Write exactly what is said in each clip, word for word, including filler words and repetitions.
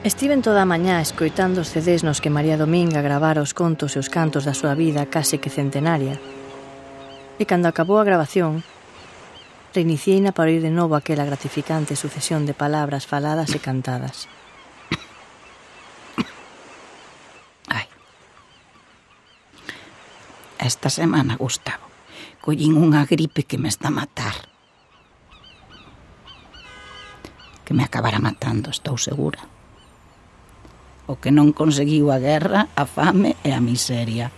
Estiven toda a mañá escoitando os C Ds nos que María Dominga gravara os contos e os cantos da súa vida case que centenaria. E cando acabou a gravación, reiniciei-na para oír de novo aquela gratificante sucesión de palabras faladas e cantadas. Ai. Esta semana, Gustavo, collín unha gripe que me está a matar. Que me acabará matando, estou segura. O que non conseguiu a guerra, a fame e a miseria.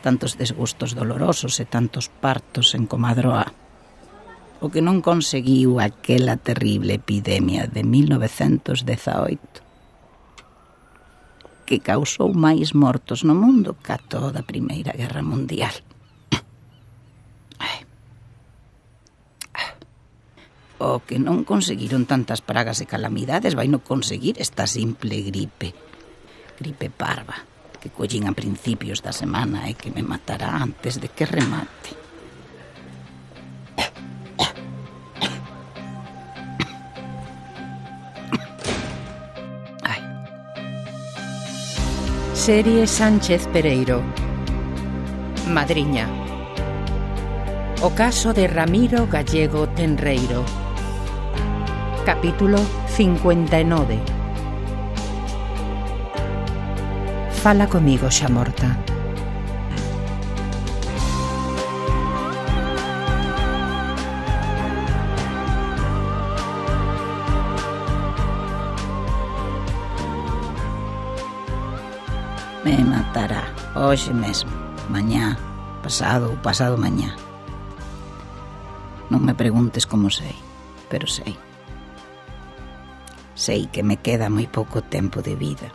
Tantos desgustos dolorosos e tantos partos en Comadroa. O que non conseguiu aquela terrible epidemia de mil novecentos dezaoito, que causou máis mortos no mundo ca toda a Primeira Guerra Mundial. O que non conseguiron tantas pragas e calamidades vai non conseguir esta simple gripe. Gripe parva, que collín a principios da semana e que me matará antes de que remate. Ai. Serie Sánchez Pereiro. Madriña. O caso de Ramiro Gallego Tenreiro. Capítulo cincuenta e nove. Fala comigo, xa morta. Me matará hoxe mesmo, mañá, pasado ou pasado mañá. Non me preguntes como sei, pero sei. Sei que me queda moi pouco tempo de vida.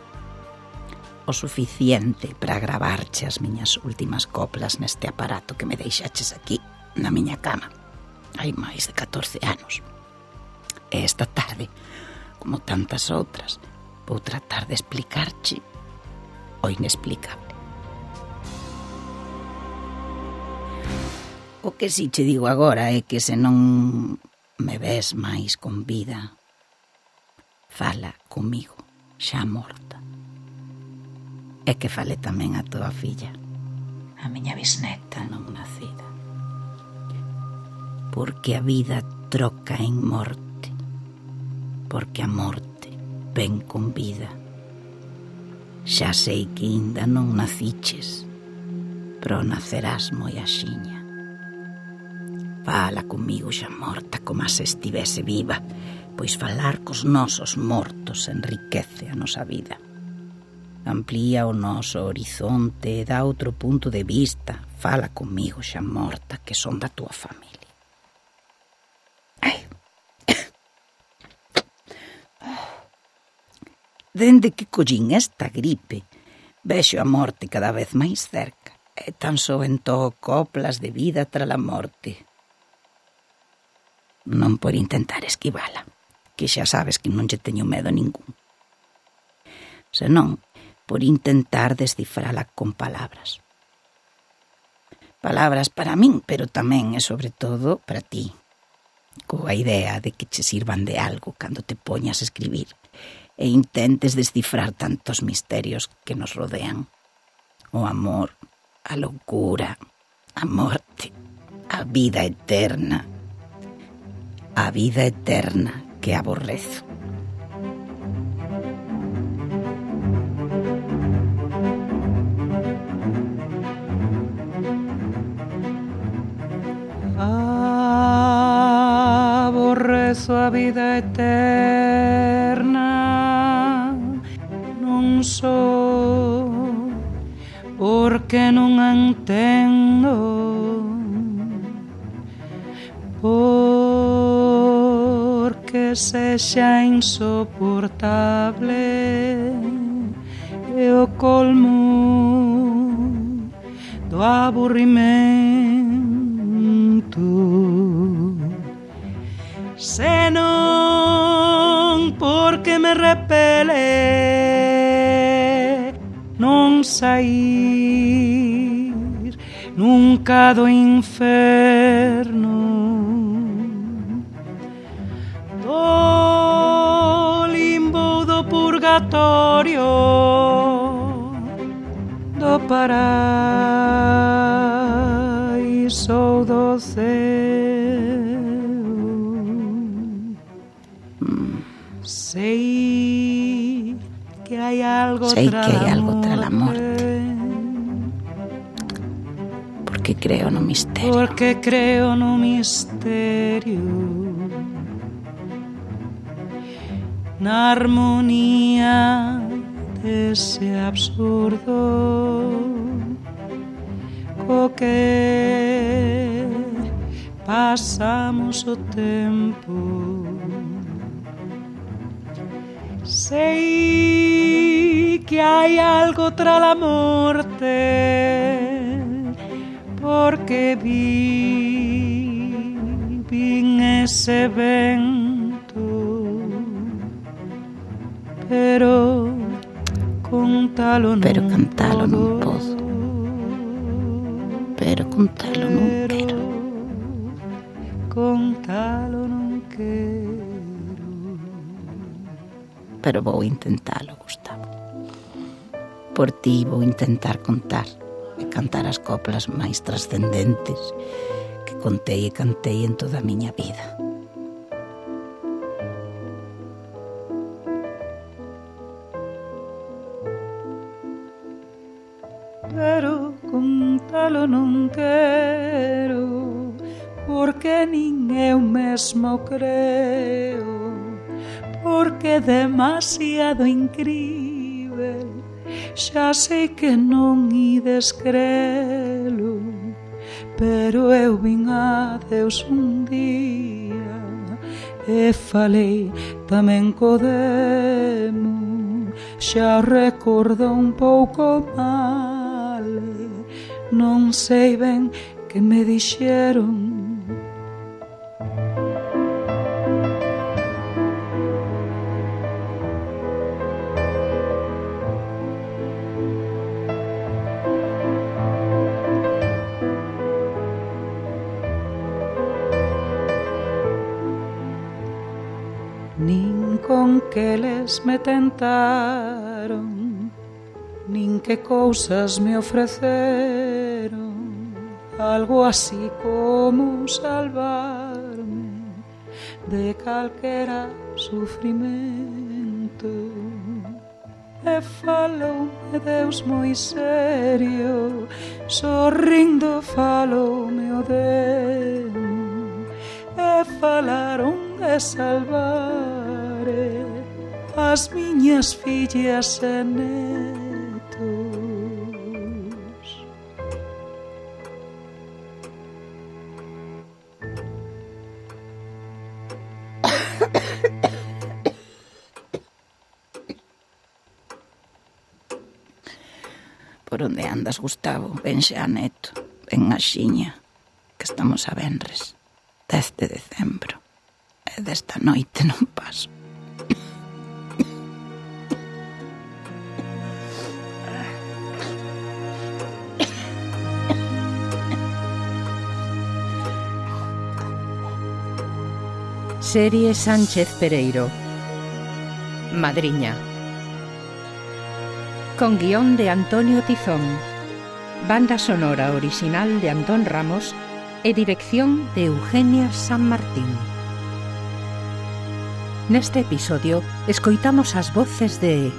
O suficiente para gravarche as miñas últimas coplas neste aparato que me deixaches aquí, na miña cama. Hai máis de catorce anos. E esta tarde, como tantas outras, vou tratar de explicarche o inexplicable. O que si che digo agora é que se non me ves máis con vida, fala comigo, xa morta. E que fale tamén a tua filla, a miña bisneta non nacida. Porque a vida troca en morte, porque a morte ven con vida. Xa sei que ainda non naciches, pero nacerás moi axiña. Fala comigo xa morta como se estivese viva, pois falar cos nosos mortos enriquece a nosa vida. Amplía o noso horizonte e dá outro punto de vista. Fala comigo xa morta, que son da túa familia. Ai. Dende que collín esta gripe, vexo a morte cada vez máis cerca, e tan só entó coplas de vida tras a morte. Non por intentar esquivala, que xa sabes que non lle teño medo ningún. Senón por intentar descifrala con palabras. Palabras para min, pero tamén e sobre todo para ti, coa idea de que che sirvan de algo cando te poñas a escribir e intentes descifrar tantos misterios que nos rodean. O amor, a loucura, a morte, a vida eterna. A vida eterna que aborrezo. Aborrezo a vida eterna, non só porque non a entendo, porque sexa insoportable e o colmo do aburrimento, senón porque me repele non saír nunca do inferno, do limbo do purgatorio do paraíso do céu. Mm. Sei que hai algo Sei tra que hai la algo tra la morte. morte. Porque creo no misterio. Porque creo no misterio, na armonía dese absurdo co que pasamos o tempo. Sei que hai algo tra la morte, porque vi, vin ese vento, pero contalo non Pero cantalo non podo, podo. Pero contalo non quero. Contalo non quero. Pero vou intentalo, Gustavo. Por ti vou intentar contar e cantar as coplas máis trascendentes que contei e cantei en toda a miña vida. Pero contalo non quero, porque nin eu mesmo creo, porque é demasiado incrível. Xa sei que non ides crelo, pero eu vin a Deus un día e falei tamén co demo. Xa recordo un pouco mal, non sei ben que me dixeron. Nin con que les me tentaron, nin que cousas me ofreceron, algo así como salvarme de calquera sufrimento. E faloume Deus moi serio, sorrindo faloume o demo, e falaron de salvar as miñas fillas e netos. Por onde andas, Gustavo? Ven xa, neto. Ven a xiña, que estamos a venres, dez de decembro. E desta noite non paso. Serie Sánchez Pereiro. Madriña. Con guión de Antonio Tizón, banda sonora original de Antón Ramos e dirección de Eugenia San Martín. Neste episodio escoitamos as voces de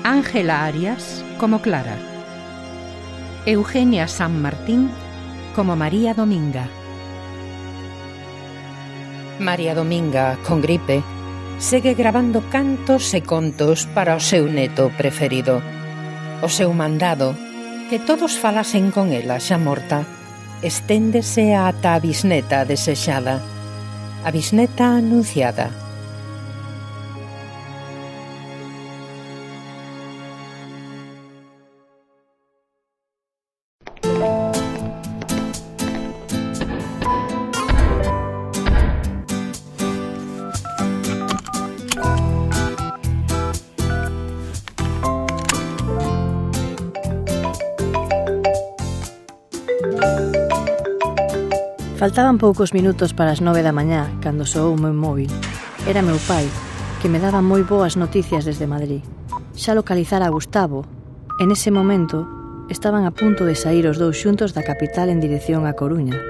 Ángela Arias como Clara, Eugenia San Martín como María Dominga. María Dominga, con gripe, segue gravando cantos e contos para o seu neto preferido. O seu mandado, que todos falasen con ela xa morta, esténdese ata a bisneta desexada, a bisneta anunciada. Faltaban poucos minutos para as nove da mañá cando soou o meu móvil. Era meu pai, que me daba moi boas noticias desde Madrid. Xa localizara a Gustavo. En ese momento estaban a punto de saír os dous xuntos da capital en dirección a Coruña.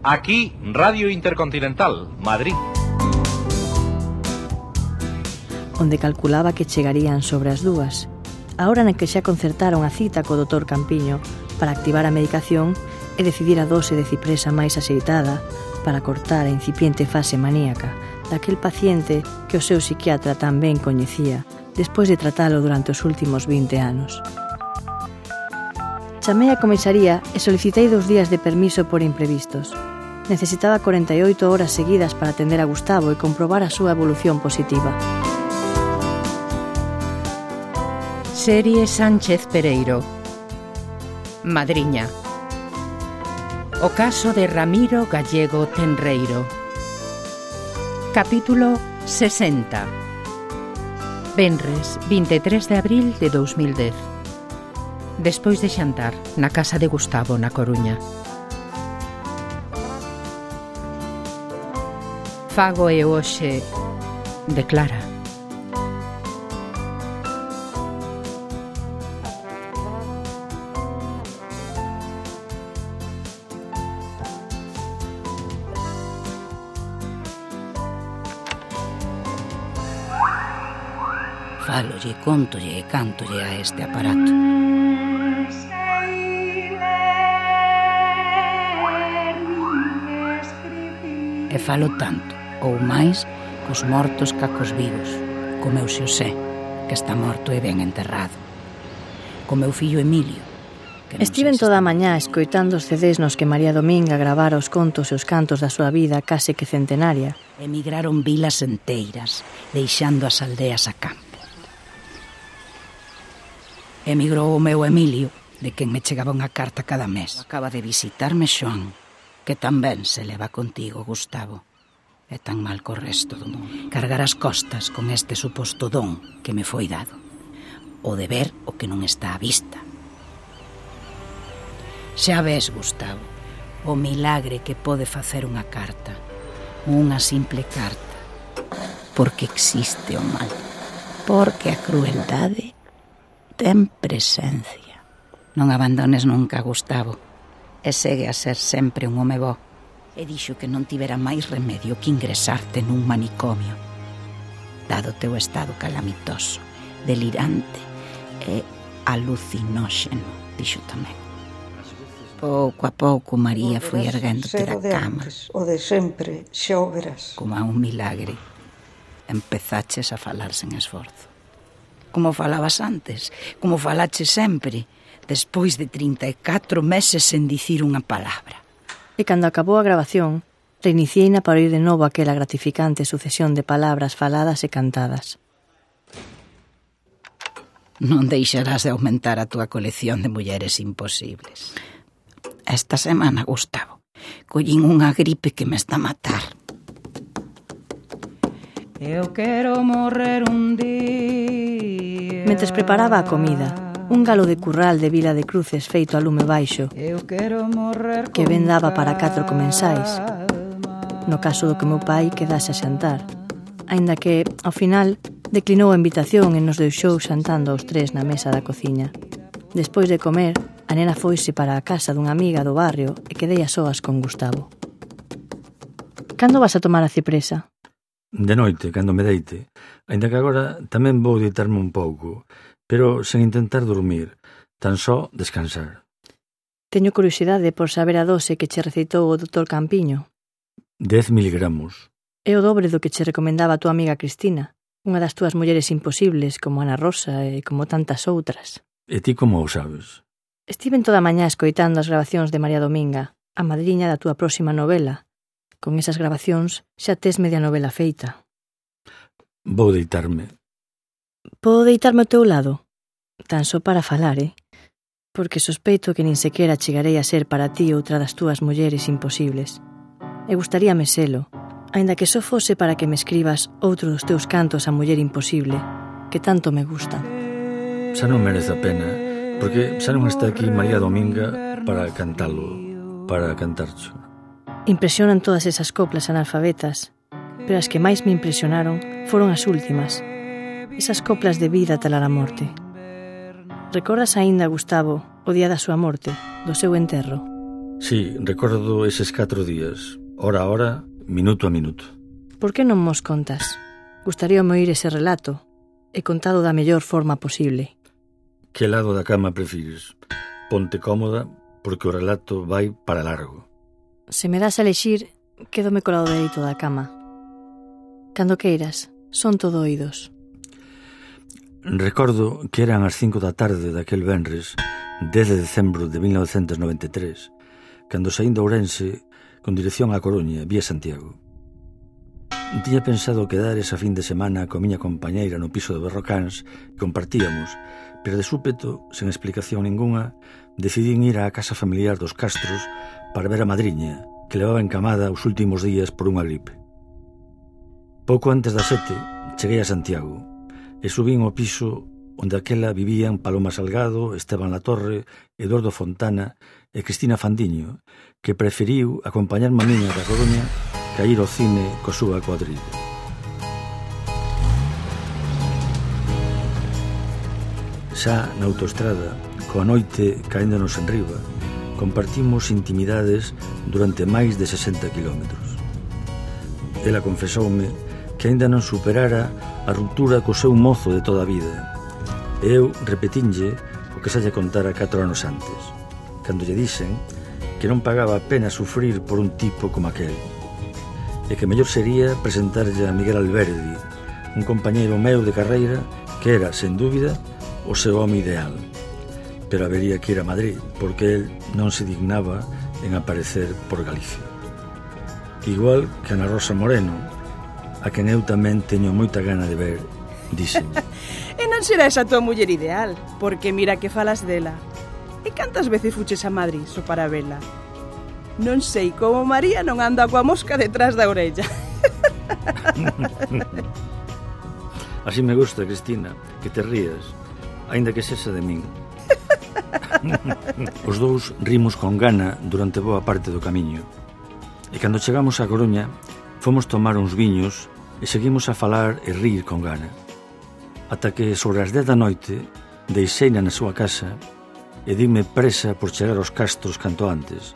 Aquí, Radio Intercontinental, Madrid. Onde calculaba que chegarían sobre as dúas, a hora na que xa concertaron a cita co doutor Campiño para activar a medicación e decidir a dose de cipresa máis axeitada para cortar a incipiente fase maníaca daquel paciente que o seu psiquiatra tan ben coñecía despois de tratalo durante os últimos vinte anos. Chamei a comisaría e solicitei dous días de permiso por imprevistos. Necesitaba corenta e oito horas seguidas para atender a Gustavo e comprobar a súa evolución positiva. Serie Sánchez Pereiro. Madriña. O caso de Ramiro Gallego Tenreiro. Capítulo sesenta. Venres, vinte e tres de abril de dous mil dez. Despois de xantar na casa de Gustavo na Coruña. Fago e hoxe declara. Fálolle, contolle e cántolle a este aparato. E falo tanto, ou máis, cos mortos ca cos vivos, co meu Xosé, que está morto e ben enterrado, co meu fillo Emilio, que non Estiven sei se toda a está- mañá escoitando os C Ds nos que María Dominga gravara os contos e os cantos da súa vida case que centenaria. Emigraron vilas enteiras, deixando as aldeas a campo. Emigrou o meu Emilio, de quen me chegaba unha carta cada mes. Acaba de visitarme Xoan, que tamén se leva contigo, Gustavo. É tan mal co resto do mundo. Cargar as costas con este suposto don que me foi dado. O de ver o que non está á vista. Xa ves, Gustavo, o milagre que pode facer unha carta. Unha simple carta. Porque existe o mal. Porque a crueldade ten presencia. Non abandones nunca, Gustavo, e segue a ser sempre un home bo. E dixo que non tivera máis remedio que ingresarte nun manicomio, dado teu estado calamitoso, delirante e alucinóxeno, dixo tamén. Pouco a pouco María foi erguéndote da cama. O de sempre, xa o verás. Como a un milagre, empezaches a falar sen esforzo. Como falabas antes, como falaches sempre, despois de trinta e catro meses sen dicir unha palabra. E cando acabou a grabación, reiniciei-na para oír de novo aquela gratificante sucesión de palabras faladas e cantadas. Non deixarás de aumentar a túa colección de mulleres imposibles. Esta semana, Gustavo, collín unha gripe que me está a matar. Eu quero morrer un día. Mentres preparaba a comida, un galo de curral de Vila de Cruces feito a lume baixo, Eu quero morrer que ben daba para catro comensais, no caso do que meu pai quedase a xantar, aínda que, ao final, declinou a invitación e nos deixou xantando aos tres na mesa da cociña. Despois de comer, a nena foise para a casa dunha amiga do barrio e quedei a soas con Gustavo. Cando vas a tomar a cipresa? De noite, cando me deite. Ainda que agora tamén vou deitarme un pouco, pero sen intentar dormir, tan só descansar. Teño curiosidade por saber a dose que che receitou o doutor Campiño. Dez miligramos. É o dobre do que che recomendaba a tua amiga Cristina, unha das túas mulleres imposibles como Ana Rosa e como tantas outras. E ti como o sabes? Estiven toda a mañá escoitando as grabacións de María Dominga, a madriña da túa próxima novela. Con esas grabacións xa tes media novela feita. Vou deitarme. Podo deitarme ao teu lado? Tan só para falar, eh? Porque sospeito que nin sequera chegarei a ser para ti outra das túas mulleres imposibles. E gustaríame selo, aínda que só fose para que me escribas outro dos teus cantos a muller imposible, que tanto me gustan. Xa non merece a pena, porque xa non está aquí María Dominga para cantalo, para cantarcho. Impresionan todas esas coplas analfabetas, pero as que máis me impresionaron foron as últimas, esas coplas de vida talar a morte. Recordas aínda, Gustavo, o día da súa morte, do seu enterro? Sí, recordo eses catro días, hora a hora, minuto a minuto. Por que non mos contas? Gustaríame oír ese relato, e contado da mellor forma posible. Que lado da cama prefires? Ponte cómoda, porque o relato vai para largo. Se me das a elexir, quédome co lado dereito da cama. Cando queiras, son todo oídos. Recordo que eran as cinco da tarde daquel venres, dez de decembro de mil novecentos noventa e tres, cando saín de Ourense con dirección á Coruña, vía Santiago. Tiña pensado quedar esa fin de semana coa miña compañeira no piso de Berrocáns que compartíamos, pero de súpeto, sen explicación ningunha, decidín ir á casa familiar dos Castros para ver a madriña, que levaba encamada os últimos días por unha gripe. Pouco antes das sete, cheguei a Santiago e subín ao piso onde aquela vivían Paloma Salgado, Esteban Latorre, Eduardo Fontana e Cristina Fandiño, que preferiu acompañarme a miña da Coruña que a ir ao cine co súa cuadrilla. Xa na autoestrada, coa noite caéndonos en riba, compartimos intimidades durante máis de sesenta kilómetros. Ela confesoume que aínda non superara a ruptura co seu mozo de toda a vida. E eu repetinlle o que xa lle contara catro anos antes, cando lle dixen que non pagaba a pena sufrir por un tipo como aquel, e que mellor sería presentarlle a Miguel Alberdi, un compañeiro meu de carreira que era, sen dúbida, o seu home ideal. Pero habería que ir a Madrid, porque el non se dignaba en aparecer por Galicia. Igual que Ana Rosa Moreno, a quen eu tamén teño moita gana de ver, díxenme. E non será esa tua muller ideal, porque mira que falas dela. E cantas veces fuches a Madrid só para vela? Non sei como María non anda coa mosca detrás da orella. Así me gusta, Cristina, que te rías, aínda que sexa de min. Os dous rimos con gana durante boa parte do camiño. E cando chegamos a Coruña, fomos tomar uns viños e seguimos a falar e rir con gana. Ata que sobre as dez da noite deixeina na súa casa e dime presa por chegar aos Castros canto antes,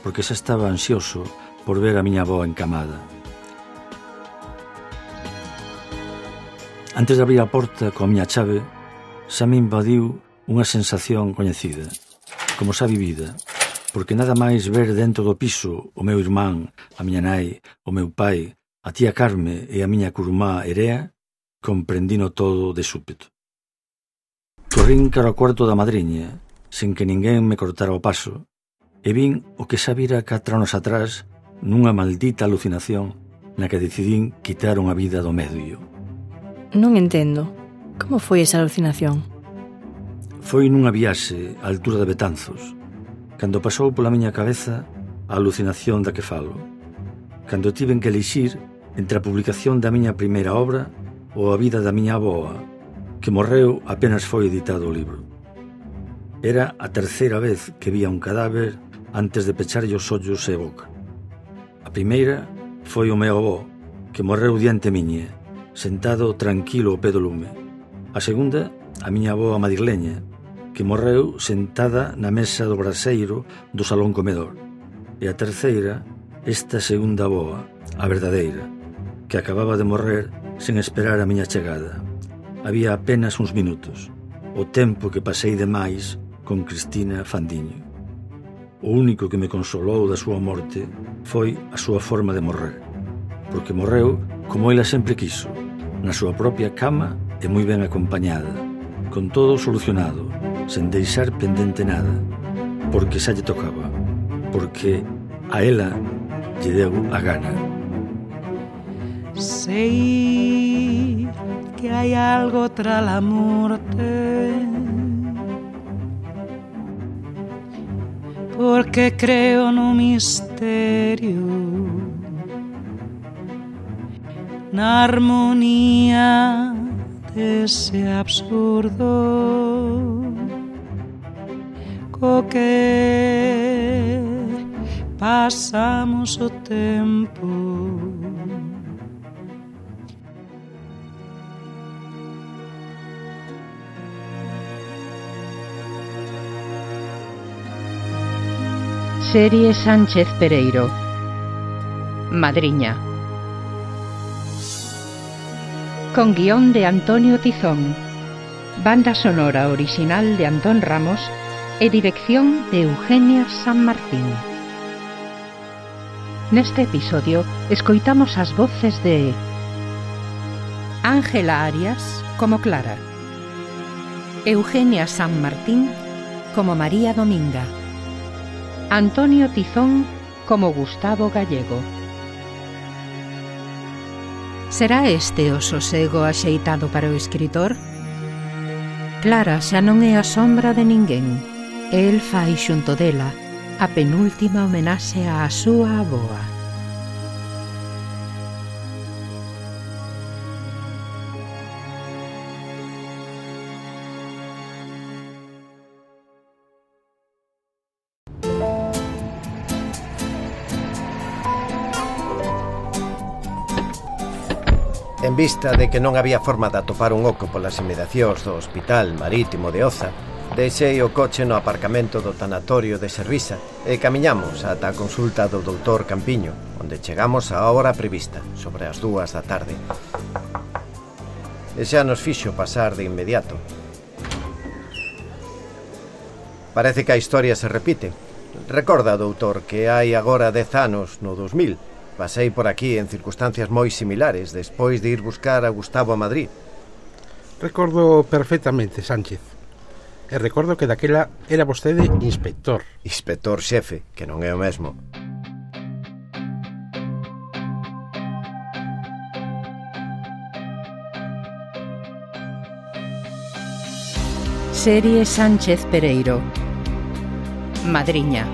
porque xa estaba ansioso por ver a miña avó encamada. Antes de abrir a porta coa miña chave, xa me invadiu unha sensación coñecida, como xa vivida, porque nada máis ver dentro do piso o meu irmán, a miña nai, o meu pai, a tía Carme e a miña curmá Erea, comprendino todo de súpeto. Corrín cara ao cuarto da madriña, sen que ninguén me cortara o paso, e vin o que xa vira catro anos atrás nunha maldita alucinación na que decidín quitar unha vida do medio. Non entendo. Como foi esa alucinación? Foi nunha viaxe á altura de Betanzos, cando pasou pola miña cabeza a alucinación da que falo, cando tiven que elixir entre a publicación da miña primeira obra ou a vida da miña avoa, que morreu apenas foi editado o libro. Era a terceira vez que vía un cadáver antes de pecharlle os ollos e a boca. A primeira foi o meu avó, que morreu diante miña, sentado tranquilo ao pé do lume. A segunda, a miña avó madrileña, que morreu sentada na mesa do braseiro do salón comedor. E a terceira, esta segunda avoa, a verdadeira, que acababa de morrer sen esperar a miña chegada. Había apenas uns minutos, o tempo que pasei de máis con Cristina Fandiño. O único que me consolou da súa morte foi a súa forma de morrer, porque morreu como ela sempre quiso, na súa propia cama e moi ben acompañada, con todo solucionado, sen deixar pendente nada, porque xa lle tocaba, porque a ela lle deu a gana. Sei que hai algo tra la morte, porque creo no misterio, na armonía dese absurdo co que pasamos o tempo Serie Sánchez Pereiro. Madriña. Con guión de Antonio Tizón, banda sonora original de Antón Ramos e dirección de Eugenia San Martín. Neste episodio escoitamos as voces de Ángela Arias como Clara, Eugenia San Martín como María Dominga, Antonio Tizón como Gustavo Gallego. Será este o sosego axeitado para o escritor? Clara xa non é a sombra de ninguén. El fai xunto dela a penúltima homenaxe á súa avoa. En vista de que non había forma de atopar un oco polas inmediacións do Hospital Marítimo de Oza, deixei o coche no aparcamento do tanatorio de Servisa e camiñamos ata a consulta do doutor Campiño, onde chegamos á hora prevista, sobre as dúas da tarde. E xa nos fixo pasar de inmediato. Parece que a historia se repite. Recorda, doutor, que hai agora dez anos, no dos mil, pasei por aquí en circunstancias moi similares despois de ir buscar a Gustavo a Madrid. Recordo perfectamente, Sánchez. E recordo que daquela era vostede inspector. Inspector xefe, que non é o mesmo. Serie Sánchez Pereiro. Madriña.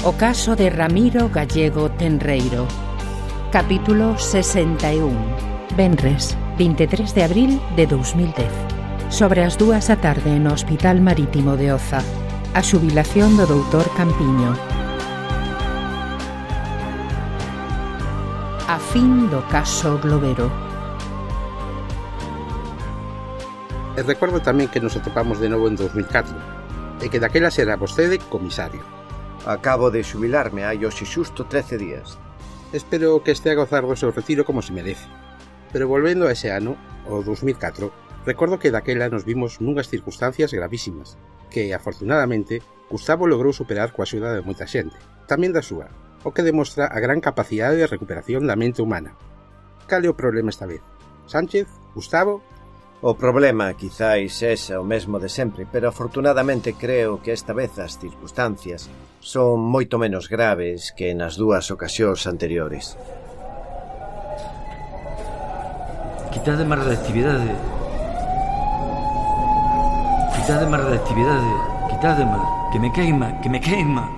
O caso de Ramiro Gallego Tenreiro. Capítulo sesenta e un. Venres, vinte e tres de abril de dos mil dez. Sobre as dúas da tarde no Hospital Marítimo de Oza. A xubilación do doutor Campiño. A fin do caso Globero. E recordo tamén que nos atopamos de novo en dos mil catro e que daquela será vostede comisario. Acabo de xubilarme hai hoxe xusto trece días. Espero que este a gozar do seu retiro como se merece. Pero volvendo a ese ano, o dos mil catro, recordo que daquela nos vimos nunhas circunstancias gravísimas, que, afortunadamente, Gustavo logrou superar coa axuda de moita xente, tamén da súa, o que demostra a gran capacidade de recuperación da mente humana. Cal é o problema esta vez? Sánchez? Gustavo? O problema quizáis sexa o mesmo de sempre, pero afortunadamente creo que esta vez as circunstancias son moito menos graves que nas dúas ocasións anteriores. Quitade máis reactividade. Quitade máis reactividade. Quitade máis. Que me queima, que me queima.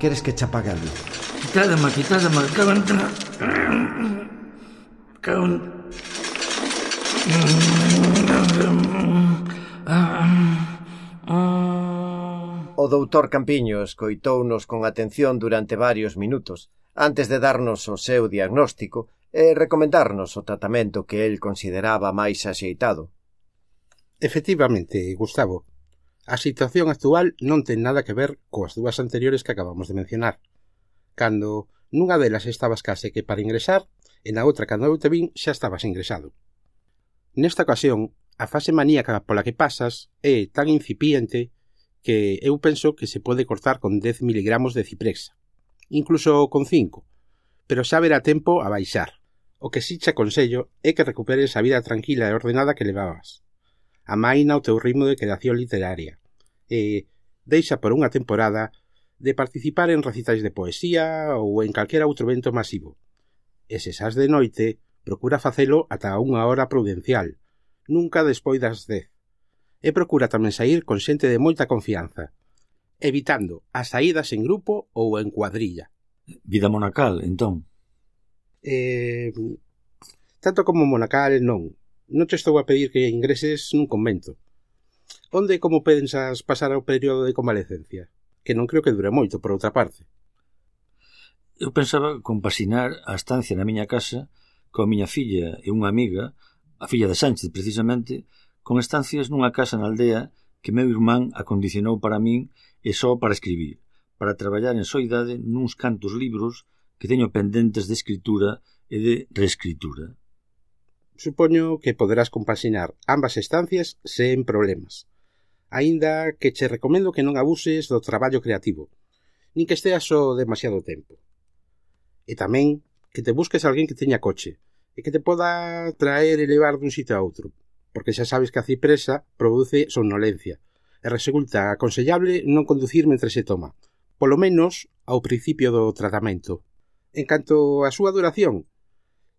Queres que che apague a luz? Quitade máis, quitade máis. Cago en... Cago en... O doutor Campiño escoitounos con atención durante varios minutos antes de darnos o seu diagnóstico e recomendarnos o tratamento que el consideraba máis axeitado. Efectivamente, Gustavo, a situación actual non ten nada que ver coas dúas anteriores que acabamos de mencionar. Cando nunha delas estabas case que para ingresar e na outra cando eu te vin xa estabas ingresado. Nesta ocasión, a fase maníaca pola que pasas é tan incipiente que eu penso que se pode cortar con dez miligramos de ciprexa, incluso con cinco, pero xa verá tempo a baixar. O que si che aconsello é que recuperes a vida tranquila e ordenada que levabas. Amaina o teu ritmo de creación literaria e deixa por unha temporada de participar en recitais de poesía ou en calquera outro evento masivo. E se sás de noite, procura facelo ata unha hora prudencial, nunca despois das dez. E procura tamén saír con xente de moita confianza, evitando as saídas en grupo ou en cuadrilla. Vida monacal, entón? Eh, tanto como monacal, non. Non te estou a pedir que ingreses nun convento. Onde e como pensas pasar o período de convalecencia? Que non creo que dure moito, por outra parte. Eu pensaba compasinar a estancia na miña casa coa miña filla e unha amiga, a filla de Sánchez, precisamente, con estancias nunha casa na aldea que meu irmán acondicionou para min e só para escribir, para traballar en soidade nuns cantos libros que teño pendentes de escritura e de reescritura. Supoño que poderás compaxinar ambas estancias sen problemas. Aínda que che recomendo que non abuses do traballo creativo, nin que esteas só demasiado tempo. E tamén que te busques alguén que teña coche e que te poda traer e levar dun sitio a outro, porque xa sabes que a cipresa produce somnolencia e resulta aconsellable non conducir mentre se toma, polo menos ao principio do tratamento. En canto á súa duración,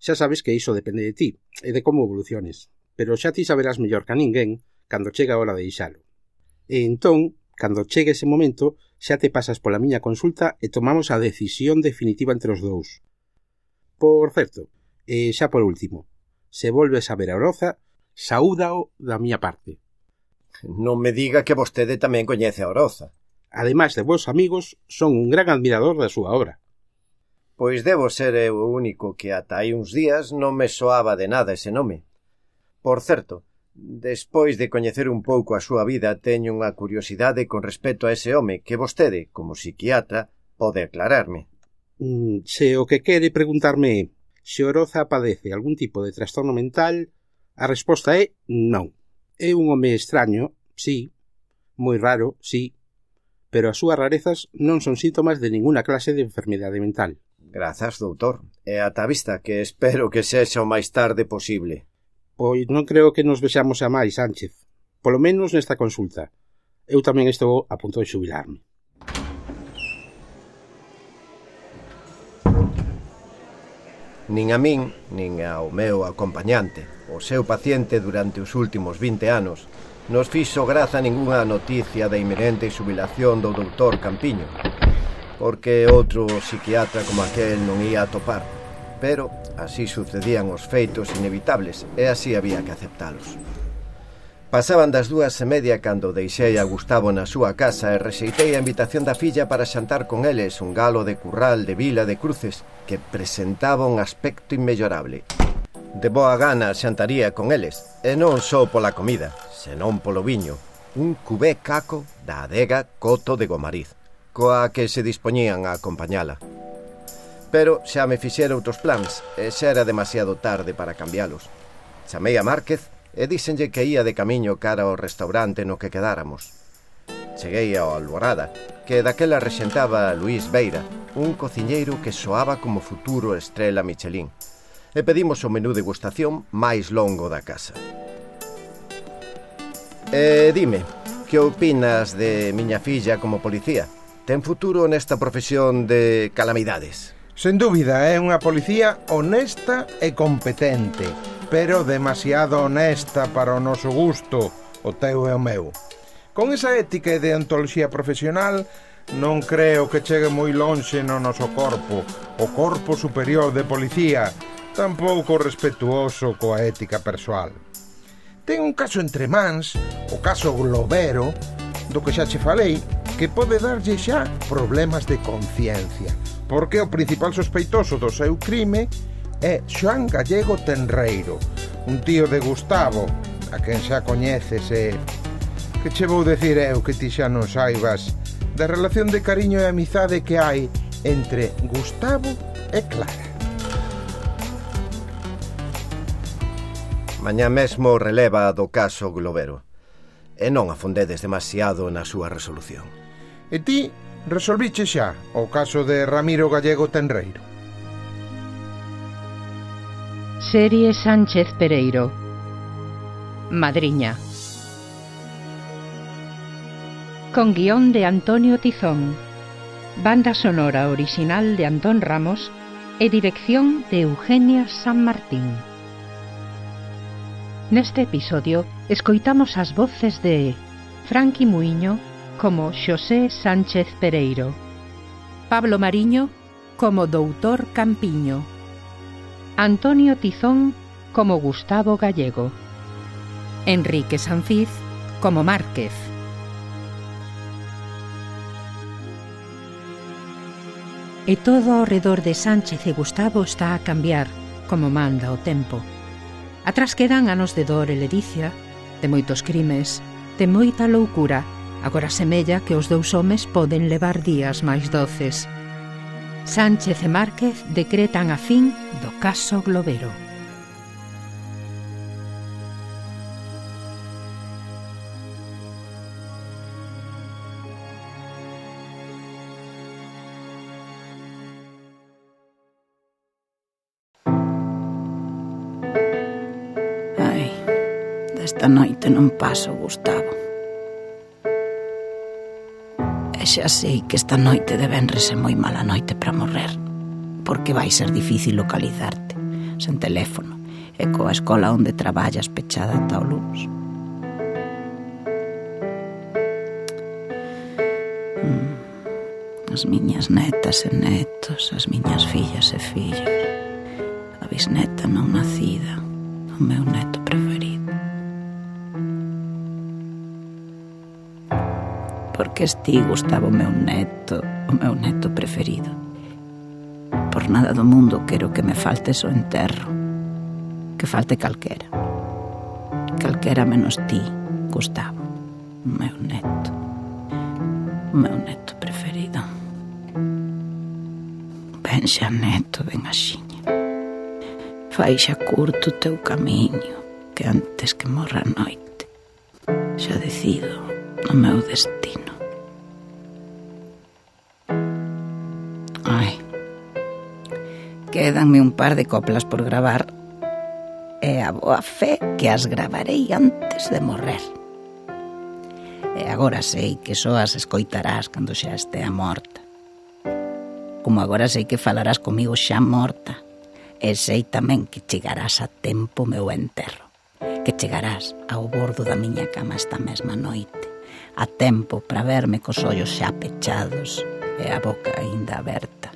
xa sabes que iso depende de ti e de como evoluciones, pero xa ti saberás mellor que a ninguén cando chega a hora de deixalo. E entón, cando chegue ese momento, xa te pasas pola miña consulta e tomamos a decisión definitiva entre os dous. Por certo, e xa por último, se volves a ver a Oroza, saúdao da miña parte. Non me diga que vostede tamén coñece a Oroza. Ademais de vos amigos, son un gran admirador da súa obra. Pois debo ser eu o único que ata hai uns días non me soaba de nada ese nome. Por certo, despois de coñecer un pouco a súa vida, teño unha curiosidade con respecto a ese home que vostede, como psiquiatra, pode aclararme. Mm, se o que quere preguntarme é se Oroza padece algún tipo de trastorno mental, a resposta é non. É un home extraño, sí, moi raro, sí, pero as súas rarezas non son síntomas de ninguna clase de enfermidade mental. Grazas, doutor. E ata a vista, que espero que sexa o máis tarde posible. Pois non creo que nos vexamos a máis, Sánchez. Polo menos nesta consulta. Eu tamén estou a punto de xubilarme. Nin a min, nin ao meu acompañante, o seu paciente durante os últimos vinte anos, nos fixo graza ningunha noticia da inminente xubilación do doutor Campiño, porque outro psiquiatra como aquel non ia a topar, pero así sucedían os feitos inevitables e así había que aceptalos. Pasaban das dúas e media cando deixei a Gustavo na súa casa e rexeitei a invitación da filla para xantar con eles un galo de curral de Vila de Cruces que presentaba un aspecto inmellorable. De boa gana xantaría con eles, e non só pola comida, senón polo viño, un cubé caco da adega Coto de Gomariz, coa que se dispoñían a acompañala. Pero xa me fixera outros plans e xa era demasiado tarde para cambialos. Chamei a Márquez e díxenlle que ia de camiño cara ao restaurante no que quedáramos. Cheguei ao Alborada, que daquela rexentaba Luís Beira, un cociñeiro que soaba como futuro estrela Michelin, e pedimos o menú degustación máis longo da casa. E dime, que opinas de miña filla como policía? Ten futuro nesta profesión de calamidades? Sen dúbida, é unha policía honesta e competente, pero demasiado honesta para o noso gusto, o teu e o meu. Con esa ética e deontoloxía profesional, non creo que chegue moi lonxe no noso corpo, o corpo superior de policía, tampouco respetuoso coa ética persoal. Ten un caso entre mans, o caso Globero, do que xa che falei, que pode darlle xa problemas de conciencia, porque o principal sospeitoso do seu crime é Xoán Gallego Tenreiro, un tío de Gustavo, a quen xa coñeces e... Que che vou decir eu que ti xa non saibas da relación de cariño e amizade que hai entre Gustavo e Clara. Mañá mesmo releva do caso Globero, e non afondedes demasiado na súa resolución. E ti resolviche xa o caso de Ramiro Gallego Tenreiro? Serie Sánchez Pereiro. Madriña. Con guión de Antonio Tizón, banda sonora original de Antón Ramos e dirección de Eugenia San Martín. Neste episodio escoitamos as voces de Franqui Muiño como Xosé Sánchez Pereiro, Pablo Mariño como doutor Campiño, Antonio Tizón como Gustavo Gallego, Enrique Sanfiz como Márquez. E todo ao redor de Sánchez e Gustavo está a cambiar, como manda o tempo. Atrás quedan anos de dor e ledicia, de moitos crimes, de moita loucura Agora semella que os dous homes poden levar días máis doces. Sánchez e Márquez decretan a fin do caso Globero. Ai, desta noite non paso, Gustavo. E xa sei que esta noite de venres é moi mala noite para morrer, porque vai ser difícil localizarte, sen teléfono, e coa escola onde traballas pechada ata o luns. Mm, as miñas netas e netos, as miñas fillas e fillos, a bisneta non nacida, o meu neto preferido. Porque esti, Gustavo, meu neto, o meu neto preferido. Por nada do mundo quero que me falte o enterro, que falte calquera. Calquera menos ti, Gustavo, o meu neto, o meu neto preferido. Ben xa, neto, ben axiña. Fai xa curto o teu camiño, que antes que morra a noite xa decido o meu destino. Ai, quédanme un par de coplas por gravar e a boa fe que as gravarei antes de morrer. E agora sei que só as escoitarás cando xa estea morta. Como agora sei que falarás comigo xa morta, e sei tamén que chegarás a tempo meu enterro, que chegarás ao bordo da miña cama esta mesma noite, a tempo para verme cos ollos xa pechados e a boca aínda aberta.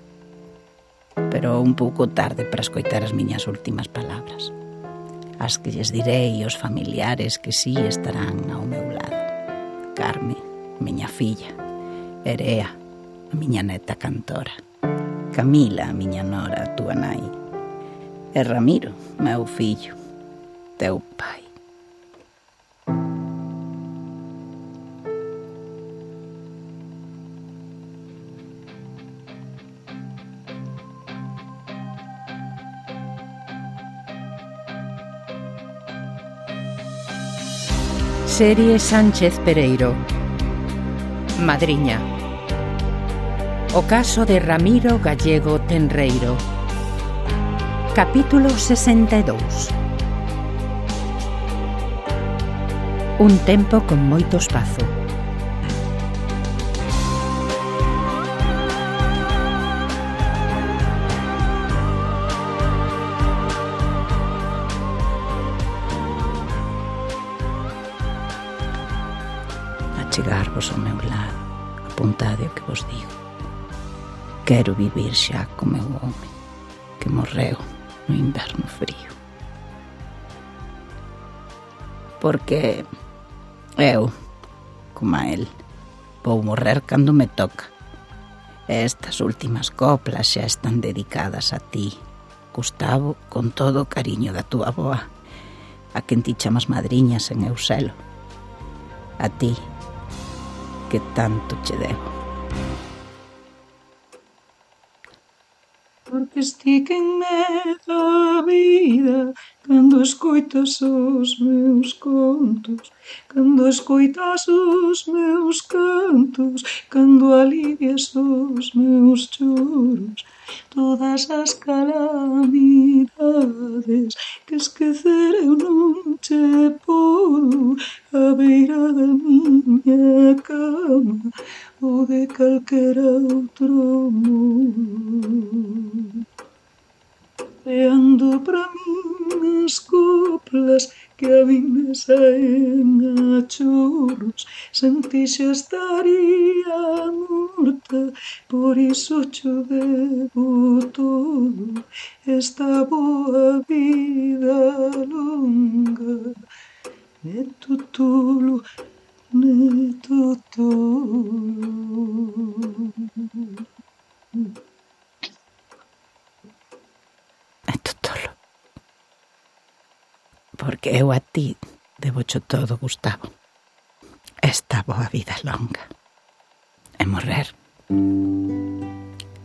Pero un pouco tarde para escoitar as miñas últimas palabras, as que lles direi aos familiares que sí estarán ao meu lado. Carme, miña filla, Erea, a miña neta cantora, Camila, a miña nora, a túa nai, e Ramiro, meu fillo, teu pai. Serie Sánchez Pereiro. Madriña. O caso de Ramiro Gallego Tenreiro. Capítulo sesenta e dous. Un tempo con moito espazo. Chegarvos ao meu lado, apuntade o que vos digo. Quero vivir xa co meu home, que morreu no inverno frío. Porque eu, como a el, vou morrer cando me toca. E estas últimas coplas xa están dedicadas a ti, Gustavo, con todo o cariño da túa avoa, a quen ti chamas madriña sen eu selo. A ti, que tanto che debo. Porque estíquenme da vida cando escoitas os meus contos, cando escoitas os meus cantos, cando alivias os meus choros, todas as calamidades que esquecer eu non che podo, a beira da miña cama ou de calquera outro modo. Leando para min as coplas que a min me saen a chorros, sen ti xa estaría morta, por iso cho debo todo, esta boa vida longa. Neto tolo, neto tolo. Neto tolo. Porque eu a ti debo cho todo, Gustavo. Esta boa vida longa e morrer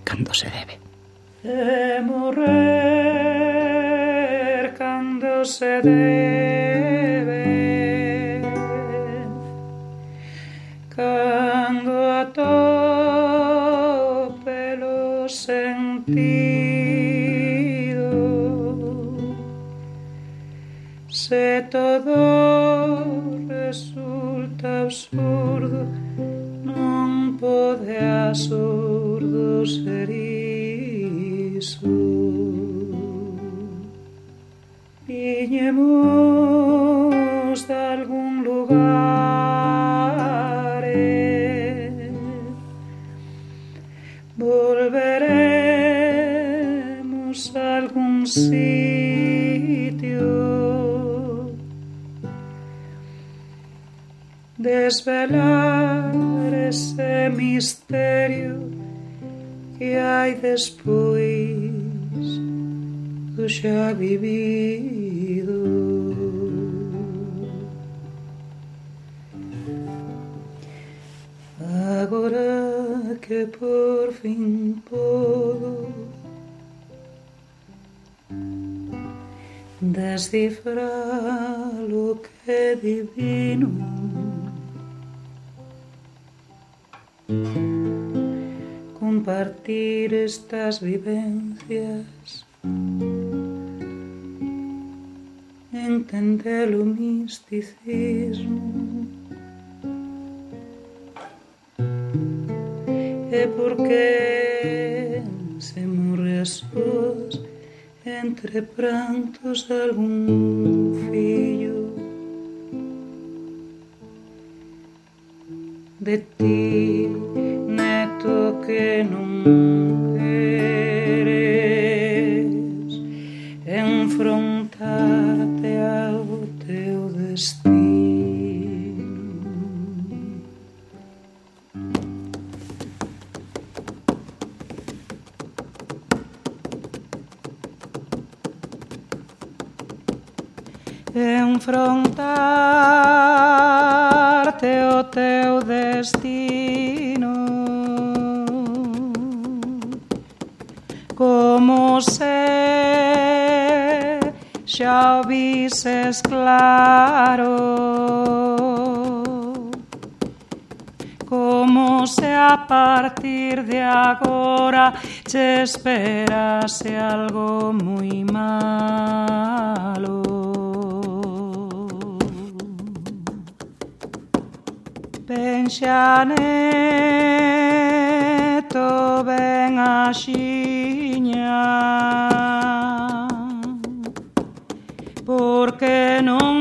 cando se debe. E morrer cando se debe, cando atope lo sentido, se todo resulta absurdo, non pode absurdo ser iso. Viñemos de algún lugar, volveremos a algún sitio, desvelar ese misterio que hai despois do xa vivido. Agora que por fin podo descifrar lo que é divino, compartir estas vivencias, entender o misticismo, e porque se morre a sós entre prantos de algún fillo de ti, neto que non queres enfrontarte ao teu destino. Enfrontarte ao teu destino, como se xa o vises claro, como se a partir de agora che esperase algo moi malo. Pensa neto ben axiña, porque non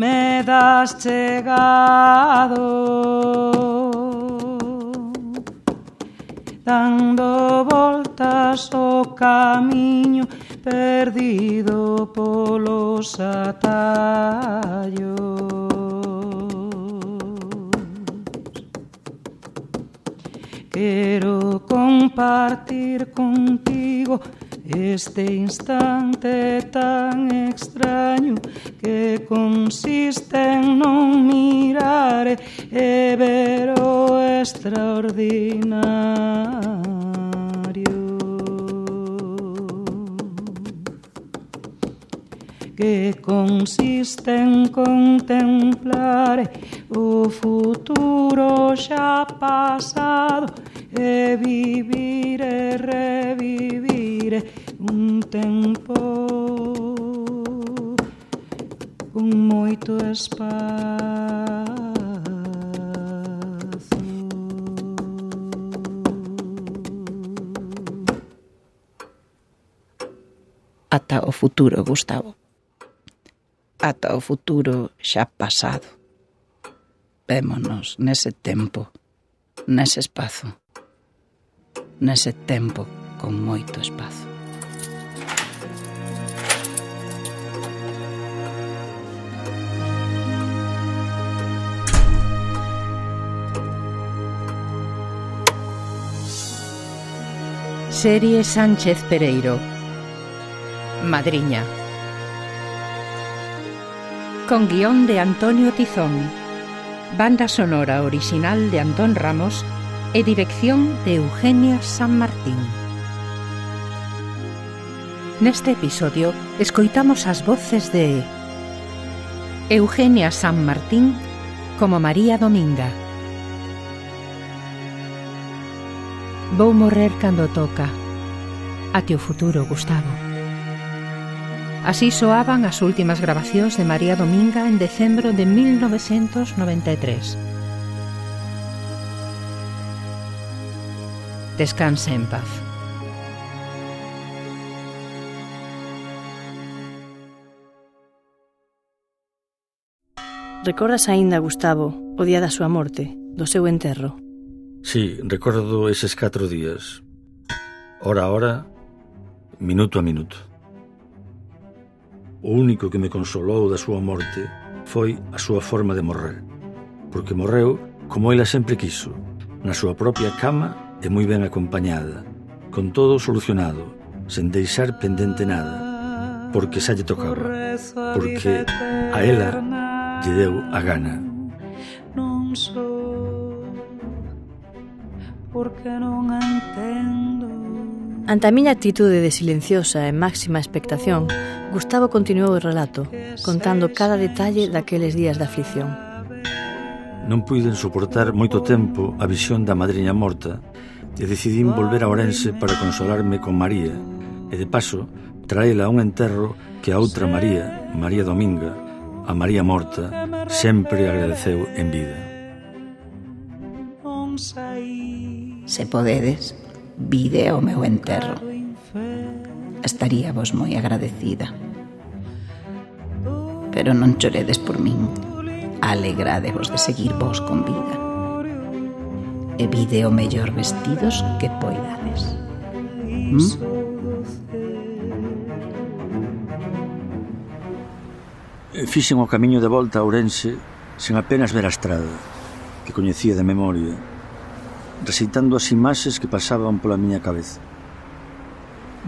me das chegado, dando voltas o camiño perdido polos atallos. Quero compartir contigo este instante tan extraño que consiste en non mirar e ver o extraordinario, que consiste en contemplar o futuro xa pasado e vivir e revivir un tempo con moito espazo. Ata o futuro, Gustavo. Ata o futuro xa pasado. Vémonos nese tempo, nese espazo, nese tempo con moito espazo. Serie Sánchez Pereiro. Madriña. Con guión de Antonio Tizón. banda sonora original de Antón Ramos e dirección de Eugenia San Martín. Neste episodio escoitamos as voces de Eugenia San Martín como María Dominga. Vou morrer cando toca. Até o futuro, Gustavo. Así soaban as últimas grabacións de María Dominga en decembro de mil novecentos noventa e tres. Descanse en paz. Recordas aínda, Gustavo, o día da súa morte, do seu enterro? Sí, recordo eses catro días, hora a hora, minuto a minuto. O único que me consolou da súa morte foi a súa forma de morrer, porque morreu como ela sempre quiso, na súa propia cama e moi ben acompañada, con todo solucionado, sen deixar pendente nada, porque xa lle tocaba, porque a ela lle deu a gana. Non sou porque non entendo. Ante a miña actitude de silenciosa e máxima expectación, Gustavo continuou o relato, contando cada detalle daqueles días de aflición. Non puiden soportar moito tempo a visión da madriña morta e decidín volver a Ourense para consolarme con María e, de paso, traela a un enterro que a outra María, María Dominga, a María morta, sempre agradeceu en vida. Se podedes, vide ao meu enterro. Estaría vos moi agradecida. Pero non choredes por min. Alegradevos de seguir vos con vida. E vide o mellor vestidos que poidades. ¿Mm? Fixen o camiño de volta a Ourense sen apenas ver a estrada, que coñecía de memoria, recitando as imaxes que pasaban pola miña cabeza.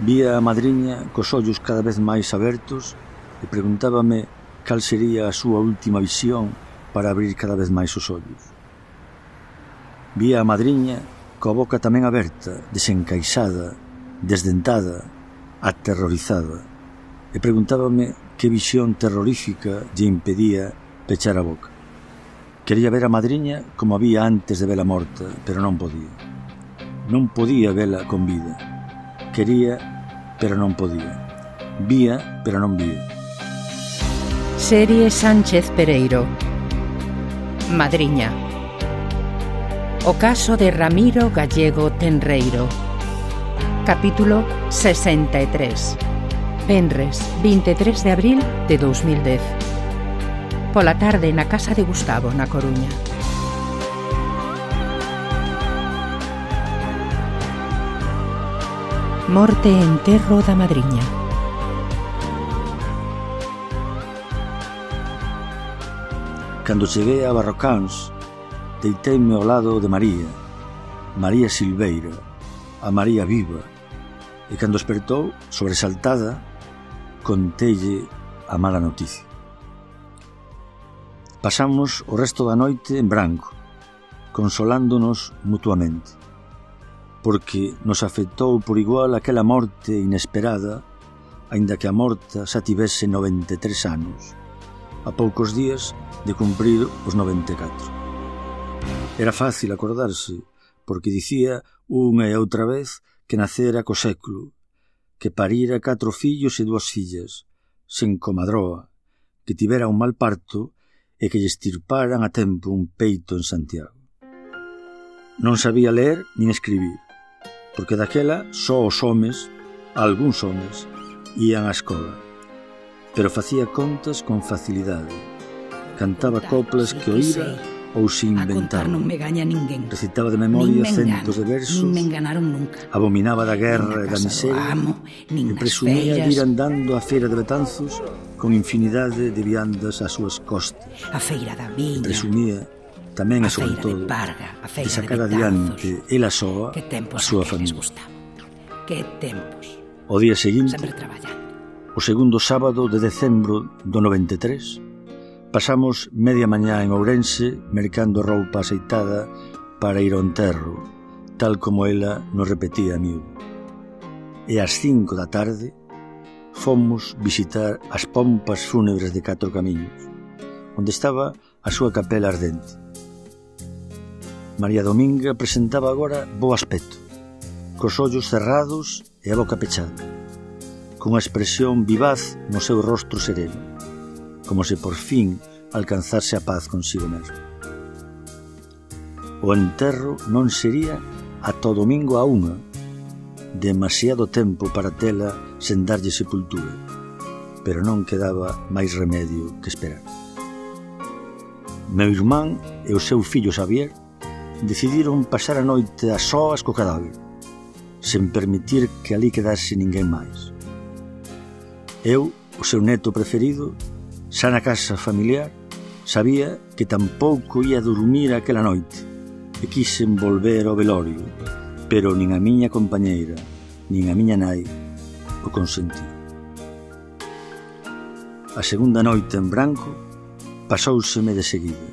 Vía a madriña cos ollos cada vez máis abertos e preguntábame cal sería a súa última visión para abrir cada vez máis os ollos. Vía a madriña coa boca tamén aberta, desencaixada, desdentada, aterrorizada, e preguntábame que visión terrorífica lle impedía pechar a boca. Quería ver a madriña como había antes de vela morta, pero non podía. Non podía vela con vida. Quería, pero non podía. Vía, pero non vía. Serie Sánchez Pereiro. Madriña. O caso de Ramiro Gallego Tenreiro. Capítulo sesenta e tres. Venres, vinte e tres de abril de dous mil dez. Pola tarde na casa de Gustavo, na Coruña. Morte e enterro da madriña. Cando cheguei a Barrocáns, deiteime ao lado de María, María Silveira, a María viva, e cando despertou, sobresaltada, conteille a mala noticia. Pasamos o resto da noite en branco, consolándonos mutuamente, porque nos afectou por igual aquela morte inesperada, aínda que a morta xa tivese noventa e tres anos, a poucos días de cumprir os noventa e catro. Era fácil acordarse, porque dicía unha e outra vez que nacera co século, que parira catro fillos e dúas fillas, sen comadroa, que tivera un mal parto e que lle estirparan a tempo un peito en Santiago. Non sabía ler nin escribir, porque daquela só os homes, algúns homes, ían á escola, pero facía contas con facilidade, cantaba coplas que oíra ou se inventaba. Non me gaña ninguén. Recitaba de memoria centos de versos. Nin me enganaron nunca. Abominaba da guerra e da miseria. E presumía de ir andando á feira de Betanzos con infinidade de viandas ás súas costas. A feira da viña. E presumía tamén e sobre todo de sacar adiante ela soa a súa familia. Que tempos. O día seguinte, o segundo sábado de decembro do noventa e tres, Pasamos media mañá en Ourense mercando roupa aceitada para ir ao enterro, tal como ela nos repetía a miúdo. E ás cinco da tarde fomos visitar as pompas fúnebres de Catro Camiños, onde estaba a súa capela ardente. María Dominga presentaba agora bo aspecto, cos ollos cerrados e a boca pechada, cunha expresión vivaz no seu rostro sereno, como se por fin alcanzase a paz consigo mesmo. O enterro non sería ata o domingo a unha, demasiado tempo para tela sen darlle sepultura, pero non quedaba máis remedio que esperar. Meu irmán e o seu fillo Xavier decidiron pasar a noite a soas co cadáver, sen permitir que ali quedase ninguén máis. Eu, o seu neto preferido, xa na casa familiar, sabía que tampouco ia dormir aquela noite e quixen volver ao velorio, pero nin a miña compañeira, nin a miña nai o consentiron. A segunda noite en branco pasóuseme de seguida,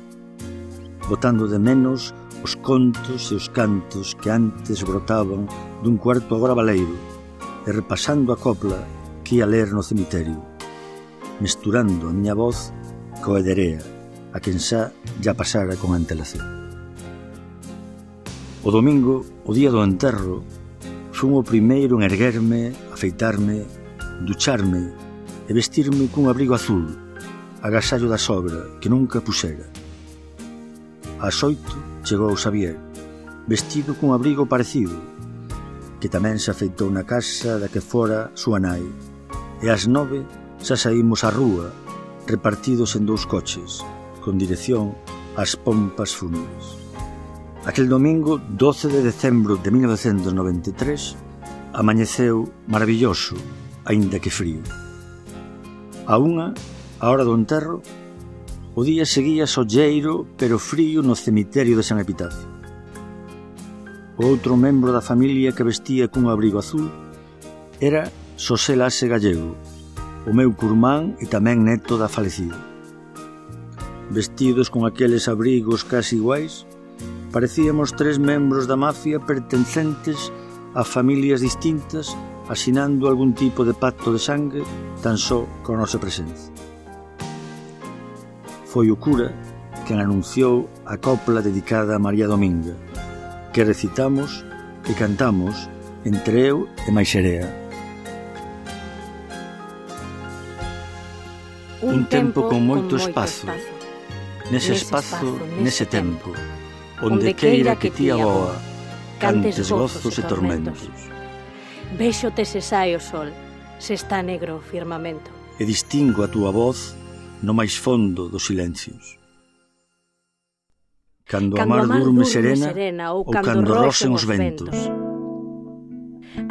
botando de menos os contos e os cantos que antes brotaban dun cuarto agora baleiro e repasando a copla que ia ler no cemiterio, mesturando a miña voz coa Ederea, a quen xa ya pasara con antelación. O domingo, o día do enterro, fun o primeiro en erguerme, afeitarme, ducharme e vestirme cun abrigo azul, agasallo da sobra que nunca puxera. Ás oito chegou Xavier, vestido cun abrigo parecido, que tamén se afeitou na casa da que fora súa nai, e ás nove xa saímos á rúa, repartidos en dous coches, con dirección ás pompas fúnebres. Aquel domingo, doce de decembro de mil novecentos noventa e tres, amañeceu maravilloso, aínda que frío. A unha, a hora do enterro, o día seguía solleiro pero frío no cemiterio de San Epitacio. O outro membro da familia que vestía cun abrigo azul era Xosé Laxe Gallego, o meu curmán e tamén neto da falecida. Vestidos con aqueles abrigos casi iguais, parecíamos tres membros da mafia pertencentes a familias distintas, asinando algún tipo de pacto de sangue tan só con a nosa presencia. Foi o cura quen anunciou a copla dedicada a María Dominga, que recitamos e cantamos entre eu e Maixerea. Un tempo con moito espazo, nese espazo, nese tempo, onde queira que ti aboa, cantes gozos e tormentos. Véxote se sae o sol, se está negro o firmamento. E distingo a túa voz no máis fondo dos silencios. Cando a mar durme serena ou cando roxen os ventos.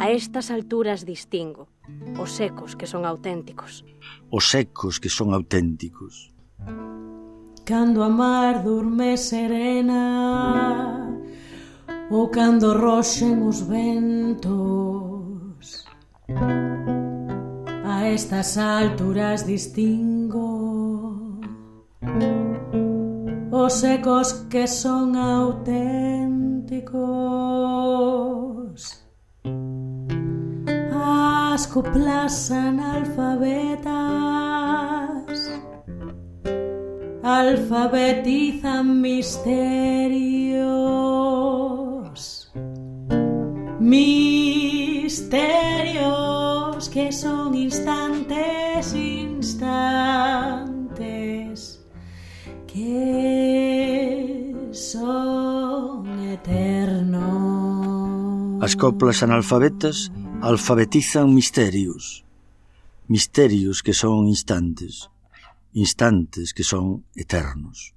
A estas alturas distingo os secos que son auténticos. Os secos que son auténticos. Cando a mar durme serena ou cando roxen os ventos, a estas alturas distingo os secos que son auténticos, as coplas analfabetas alfabetizan misterios, misterios que son instantes, instantes que son eternos. As coplas analfabetas alfabetizan misterios, misterios que son instantes, instantes que son eternos.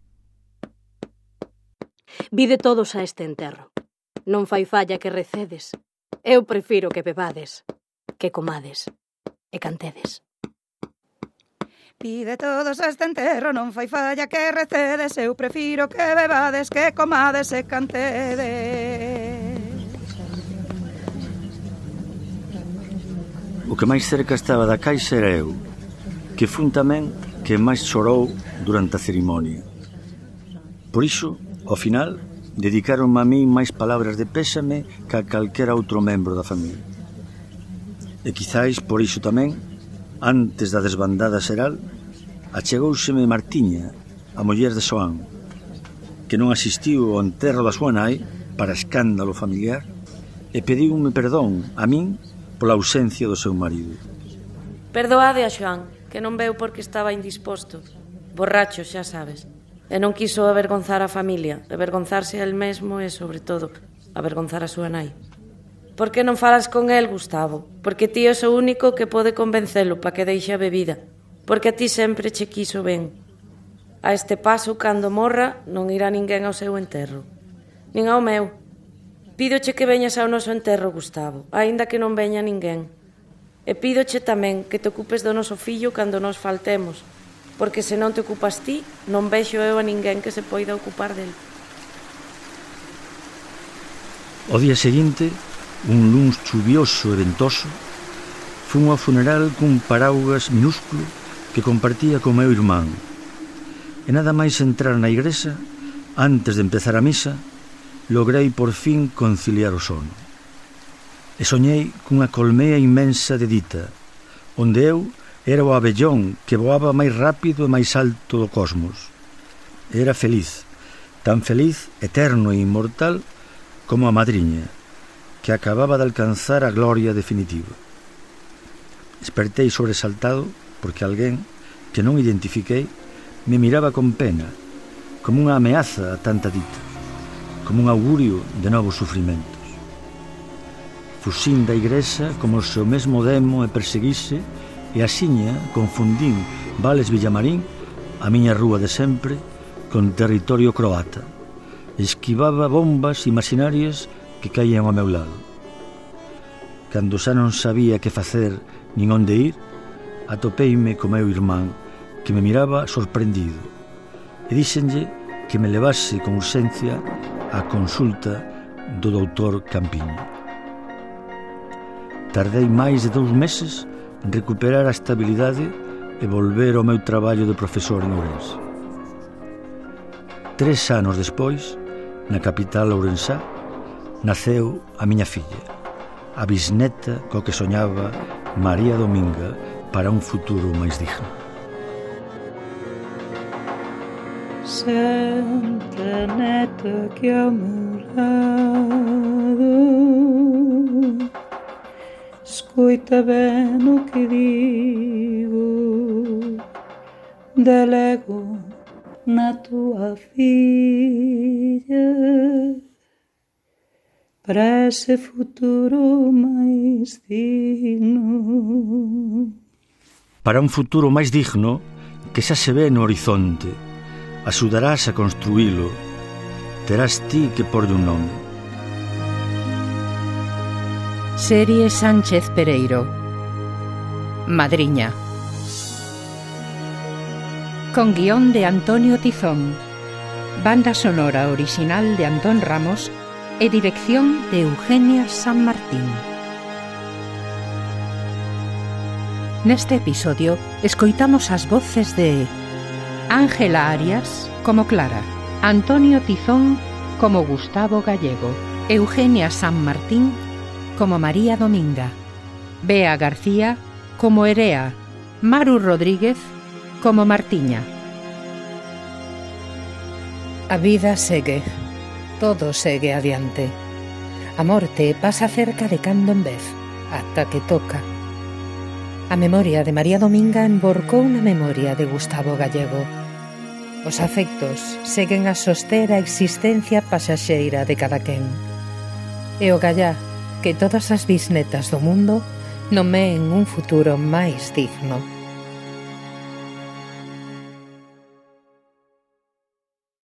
Vide todos a este enterro. Non fai falla que recedes. Eu prefiro que bebades, que comades e cantedes. Vide todos a este enterro, non fai falla que recedes. Eu prefiro que bebades, que comades e cantedes. O que máis cerca estaba da caixa era eu, que fun tamén que máis chorou durante a cerimonia. Por iso, ao final, dedicaronme a min máis palabras de pésame que a calquera outro membro da familia. E quizáis por iso tamén, antes da desbandada xeral, achegóuseme Martiña, a muller de Xoán, que non asistiu ao enterro da súa nai para escándalo familiar, e pediume perdón a min pola ausencia do seu marido. Perdoade a Xoán, que non veu porque estaba indisposto. Borracho, xa sabes. E non quiso avergonzar a familia, avergonzarse a él mesmo e, sobre todo, avergonzar a súa nai. Por que non falas con el, Gustavo? Porque ti és o único que pode convencelo para que deixe a bebida. Porque a ti sempre che quiso ben. A este paso, cando morra, non irá ninguén ao seu enterro. Nin ao meu. Pídoche que veñas ao noso enterro, Gustavo, aínda que non veña ninguén. E pídoche tamén que te ocupes do noso fillo cando nos faltemos, porque se non te ocupas ti, non vexo eu a ninguén que se poida ocupar del. O día seguinte, un luns chuvioso e ventoso, fun ao funeral cun paraugas minúsculo que compartía co meu irmán. E nada máis entrar na igrexa, antes de empezar a misa, logrei por fin conciliar o sono. E soñei cunha colmea inmensa de dita, onde eu era o abellón que voaba máis rápido e máis alto do cosmos. Era feliz, tan feliz, eterno e inmortal como a madriña, que acababa de alcanzar a gloria definitiva. Despertei sobresaltado porque alguén, que non identifiquei, me miraba con pena, como unha ameaza a tanta dita, como un augurio de novos sufrimentos. Fuxín da igrexa como se o mesmo demo e perseguise, e axiña confundín Vales Villamarín, a miña rúa de sempre, con territorio croata. Esquivaba bombas imaginarias que caían ao meu lado. Cando xa non sabía que facer nin onde ir, atopeime co meu irmán, que me miraba sorprendido, e díxenlle que me levase con urxencia á consulta do doutor Campiño. Tardei máis de dous meses en recuperar a estabilidade e volver ao meu traballo de profesor en Ourense. Tres anos despois, na capital ourensá, naceu a miña filla, a bisneta co que soñaba María Dominga para un futuro máis digno. Santa neta que ao meu lado, escuita ben o que digo, delego na tua filha para ese futuro máis digno. Para un futuro máis digno que xa se ve no horizonte, axudarás a construílo, terás ti que porlle un nome. Serie Sánchez Pereiro. Madriña. Con guión de Antonio Tizón, banda sonora original de Antón Ramos e dirección de Eugenia San Martín. Neste episodio escoitamos as voces de Ángela Arias como Clara, Antonio Tizón como Gustavo Gallego, Eugenia San Martín como María Dominga, Bea García como Erea, Maru Rodríguez como Martiña. A vida segue, todo segue adiante. A morte pasa cerca de cando en vez, ata que toca. A memoria de María Dominga emborcou na memoria de Gustavo Gallego. Os afectos seguen a soster a existencia pasaxeira de cada quen. E o gallá que todas as bisnetas do mundo nomeen un futuro máis digno.